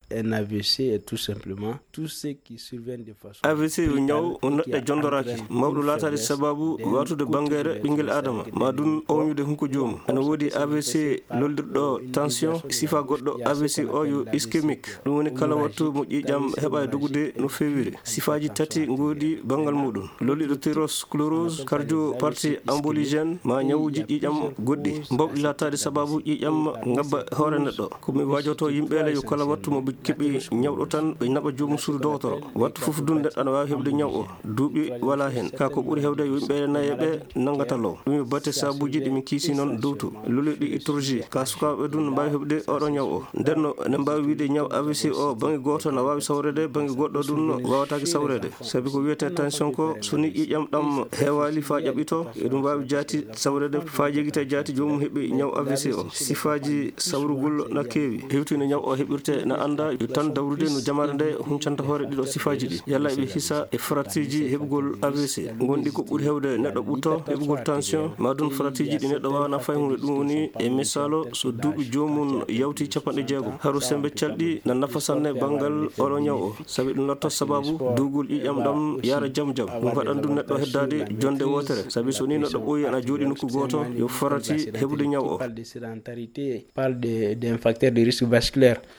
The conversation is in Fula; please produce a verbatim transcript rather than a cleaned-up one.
Un A V C est tout simplement tout ce qui survient de façon A V C yo ñaw on neɗɗo jondoraaki, mawɗo laataade sababu waatude banngeere ɓinngel aadama, ma dun ooñude hunko joomum. Ene woodi A V C lollirɗo tension, sifa goɗɗo A V C o yo ischémique. Ɗum woni kala wattu mo ƴiiƴam heɓa e dogude no feewiri. Sifaaji tati ngoodi banngal muɗum. Lolliɗo thyrosclérose, cardio partie emboligène, ma ñawuji ƴiiƴam goɗɗi. Mbawɗi laataade sababu ƴiiƴam ngabba hoore neɗɗo. Ko mi waajoto yimɓeele yo kala wattu mo ɓe keɓi ñawɗo tan ɓe naɓa joomum suudu dogotoro. Wattu fof dun neɗɗo ana waawi heɓde ñaw o. Duuɓi wala hen. Ka ko ɓuri hewde yo yimɓeele naye ɓe nanngata law. Ɗum yo batte sabuuji ɗi min kiisi noon dowtu. Lolliɗi ittorji. Ka sukaaɓe dun no mbaawi heɓde oɗo ñaw o. Nden no ene mbaawi wiide ñaw A V C o bannge gooto na waawi sawreede, bannge goɗɗo dun waawataake sawreede. Sabi ko wiyetee tension ko, so ni ƴiiƴam ɗam heewaali faa ƴaɓɓitoo, eɗum waawi jaati sawreede faa jegita jaati joomum heɓi ñaw A V C o. Sifaaji sawrugol na keewi. Hewti no ñaw o heɓirtee na anndaa, yo tan dawrude no jamaare nde huncanta hoore ɗiɗo sifaaji ɗi. Yalla eɓe hisa e faratiiji heɓugol A V C. Ngonɗi ko ɓuri hewde neɗɗo ɓutto heɓugol tension, ma dun faratiiji ɗi neɗɗo waawana fay hunde. Ɗum woni e misaalu, so duuɓi joomum yawti cappanɗe jeegom, haru sembe calɗi na nafa sanne banngal oɗo ñaw o. Sabi ɗum lotto sababu duugol ƴiiƴam ɗam yaara jam jam. Ɗum waɗan ɗum neɗɗo heddaade jonde wootere. Sabi so ni neɗɗo ɓooyi ana jooɗi nokku gooto, yo farati heɓude ñaw o. Parle de sédentarité, parle de, d'un facteur de risque vasculaire.